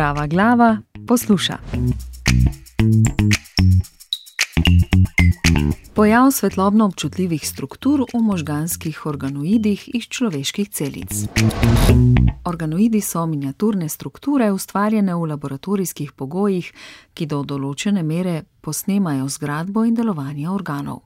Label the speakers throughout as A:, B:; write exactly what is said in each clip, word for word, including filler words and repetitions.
A: Zdrava glava posluša. Pojav svetlobno občutljivih struktur v možganskih organoidih iz človeških celic. Organoidi so miniaturne strukture, ustvarjene v laboratorijskih pogojih, ki do določene mere posnemajo zgradbo in delovanje organov.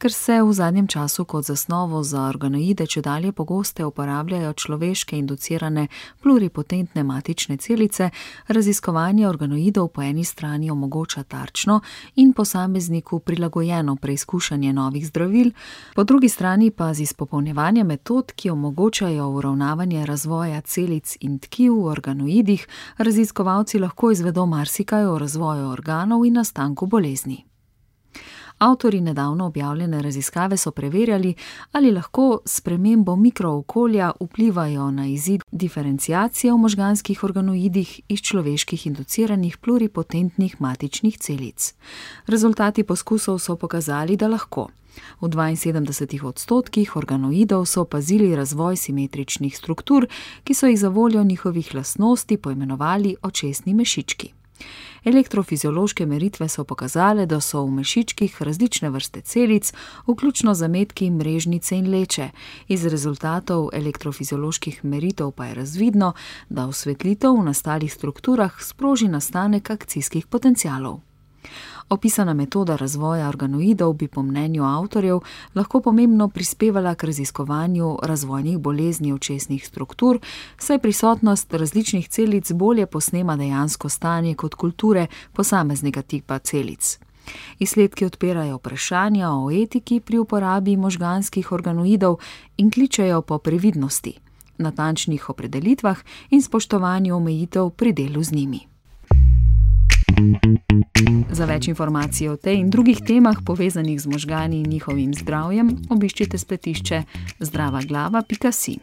A: Ker se v zadnjem času kot zasnovo za organoide čedalje pogosteje uporabljajo človeške inducirane pluripotentne matične celice, raziskovanje organoidov po eni strani omogoča tarčno in posamezniku prilagojeno preizkušanje novih zdravil, po drugi strani pa z izpopolnjevanjem metod, ki omogočajo uravnavanje razvoja celic in tkiv v organoidih, raziskovalci lahko izvedo marsikaj o razvoju organov in nastanku bolezni. Avtorji nedavno objavljene raziskave so preverjali, ali lahko s spremembo mikrookolja vplivajo na izid diferenciacije v možganskih organoidih iz človeških induciranih pluripotentnih matičnih celic. Rezultati poskusov so pokazali, da lahko. V dvainsedemdesetih odstotkih organoidov so opazili razvoj simetričnih struktur, ki so jih zavoljo njihovih lastnosti poimenovali očesni mešički. Elektrofiziološke meritve so pokazale, da so v mešičkih različne vrste celic, vključno zametki, mrežnice in leče. Iz rezultatov elektrofizioloških meritev pa je razvidno, da osvetlitev v nastalih strukturah sproži nastanek akcijskih potencialov. Opisana metoda razvoja organoidov bi po mnenju avtorjev lahko pomembno prispevala k raziskovanju razvojnih bolezni očesnih struktur, saj prisotnost različnih celic bolje posnema dejansko stanje kot kulture posameznega tipa celic. Izsledki odpirajo vprašanja o etiki pri uporabi možganskih organoidov in kličejo po previdnosti, natančnih opredelitvah in spoštovanju omejitev pri delu z njimi. Za več informacij o tej in drugih temah, povezanih z možgani in njihovim zdravjem, obiščite spletišče zdrava glava pika si.